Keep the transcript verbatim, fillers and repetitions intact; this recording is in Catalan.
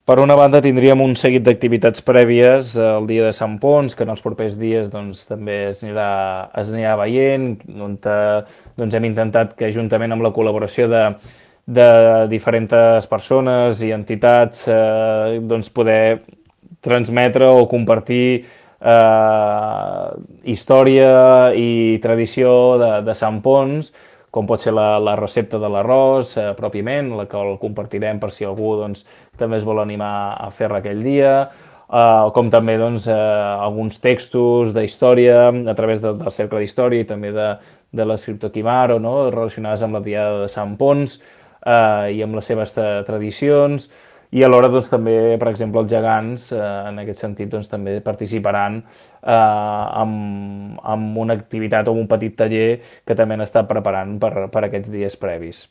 Per una banda tindríem un seguit d'activitats prèvies el dia de Sant Ponç, que en els propers dies doncs, també es anirà, es anirà veient, on eh, doncs, hem intentat que juntament amb la col·laboració de, de diferents persones i entitats eh, doncs, poder transmetre o compartir eh, història i tradició de, de Sant Ponç, com pot ser la, la recepta de l'arròs eh, pròpiament, la que el compartirem per si algú doncs, també es vol animar a fer-la aquell dia, eh, com també doncs, eh, alguns textos d'història a través de, del Cercle d'Història i també de, de l'escriptor Quimaro, no? Relacionades amb la Diada de Sant Ponç eh, i amb les seves tradicions, i alhora doncs, també, per exemple, els gegants, eh, en aquest sentit, doncs, també participaran eh, amb, amb una activitat o un petit taller que també han estat preparant per, per aquests dies previs.